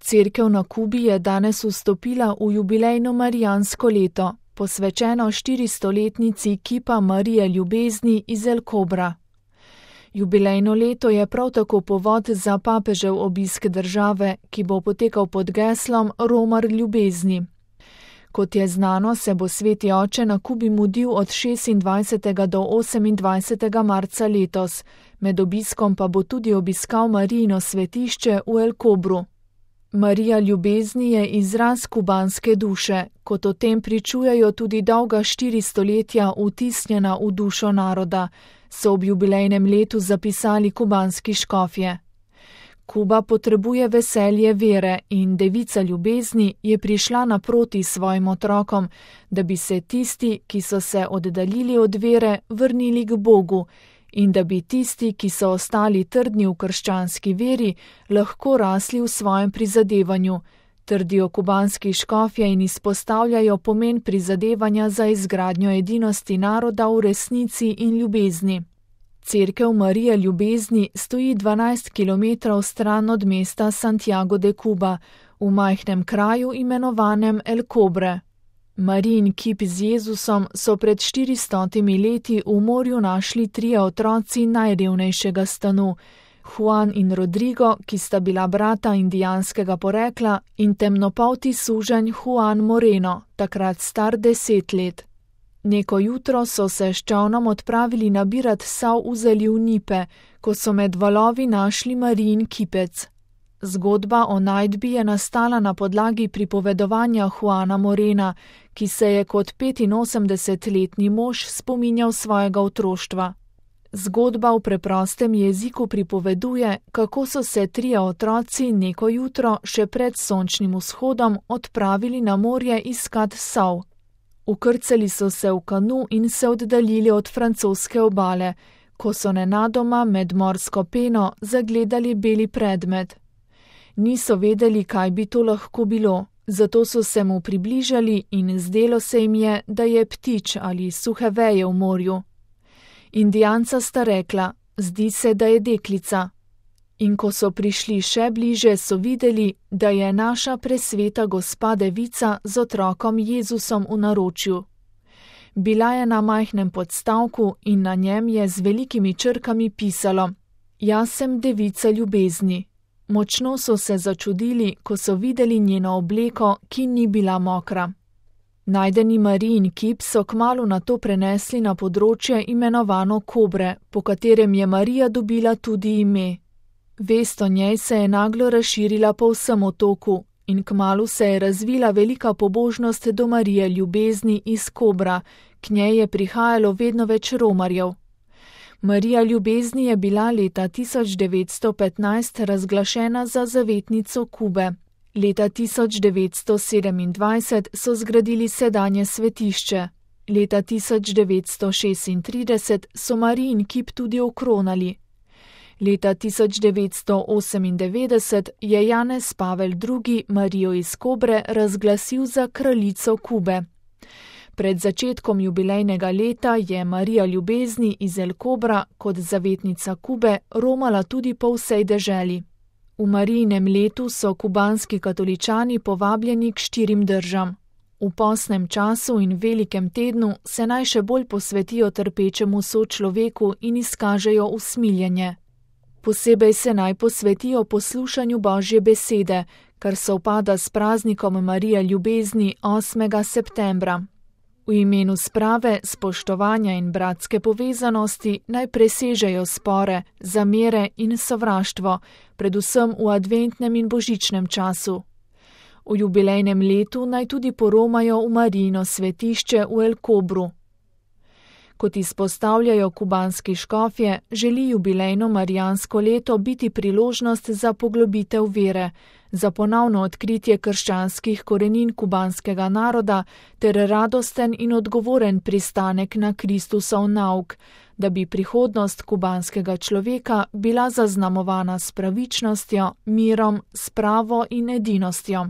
Cerkev na Kubi je danes vstopila v jubilejno marijansko leto, posvečeno 400-letnici kipa Marije ljubezni iz El Kobra. Jubilejno leto je prav tako povod za papežev obisk države, ki bo potekal pod geslom Romar ljubezni. Kot je znano, se bo Sveti oče na Kubi mudil od 26. do 28. marca letos, med obiskom pa bo tudi obiskal Marijino svetišče v El Kobru. Marija ljubezni je izraz kubanske duše, kot o tem pričujejo tudi dolga 4 stoletja vtisnjena v dušo naroda, so ob jubilejnem letu zapisali kubanski škofje. Kuba potrebuje veselje vere in devica ljubezni je prišla naproti svojim otrokom, da bi se tisti, ki so se oddaljili od vere, vrnili k Bogu in da bi tisti, ki so ostali trdni v krščanski veri, lahko rasli v svojem prizadevanju, trdijo kubanski škofje in izpostavljajo pomen prizadevanja za izgradnjo edinosti naroda v resnici in ljubezni. Cerkev Marije ljubezni stoji 12 kilometrov stran od mesta Santiago de Cuba, v majhnem kraju imenovanem El Cobre. Marijin kip z Jezusom so pred 400 leti v morju našli 3 otroci najrevnejšega stanu, Juan in Rodrigo, ki sta bila brata indijanskega porekla, in temnopolti suženj Juan Moreno, takrat star 10 let. Neko jutro so se s čolnom odpravili nabirat sav v zaliv Nipe, ko so med valovi našli Marijin kipec. Zgodba o najdbi je nastala na podlagi pripovedovanja Juana Morena, ki se je kot 85-letni mož spominjal svojega otroštva. Zgodba v preprostem jeziku pripoveduje, kako so se 3 otroci neko jutro še pred sončnim vzhodom odpravili na morje iskat sav. Ukrcali so se v kanu in se oddaljili od francoske obale, ko so nenadoma med morsko peno zagledali beli predmet. Niso vedeli, kaj bi to lahko bilo, zato so se mu približali in zdelo se jim je, da je ptič ali suhe veje v morju. Indijanca sta rekla, zdi se, da je deklica. In ko so prišli še bliže, so videli, da je naša presveta gospa devica z otrokom Jezusom v naročju. Bila je na majhnem podstavku in na njem je z velikimi črkami pisalo: Jaz sem devica ljubezni. Močno so se začudili, ko so videli njeno obleko, ki ni bila mokra. Najdeni Marijin kip so kmalu nato prenesli na področje imenovano Kobre, po katerem je Marija dobila tudi ime. Vest o njej se je naglo razširila po vsem otoku in kmalu se je razvila velika pobožnost do Marije ljubezni iz Kobra, k njej je prihajalo vedno več romarjev. Marija ljubezni je bila leta 1915 razglašena za zavetnico Kube. Leta 1927 so zgradili sedanje svetišče. Leta 1936 so Marijin kip tudi okronali. Leta 1998 je Janez Pavel II. Marijo iz Kobre razglasil za kraljico Kube. Pred začetkom jubilejnega leta je Marija ljubezni iz El Kobra kot zavetnica Kube romala tudi po vsej deželi. V Marijinem letu so kubanski katoličani povabljeni k 4 držam. V postnem času in velikem tednu se naj še bolj posvetijo trpečemu sočloveku in izkažejo usmiljenje. Posebej se naj posvetijo poslušanju Božje besede, kar sovpada s praznikom Marije ljubezni 8. septembra. V imenu sprave, spoštovanja in bratske povezanosti naj presežejo spore, zamere in sovraštvo, predvsem v adventnem in božičnem času. V jubilejnem letu naj tudi poromajo v Marijino svetišče v El Kobru. Kot izpostavljajo kubanski škofje, želi jubilejno marijansko leto biti priložnost za poglobitev vere, za ponovno odkritje krščanskih korenin kubanskega naroda ter radosten in odgovoren pristanek na Kristusov nauk, da bi prihodnost kubanskega človeka bila zaznamovana s pravičnostjo, mirom, spravo in edinostjo.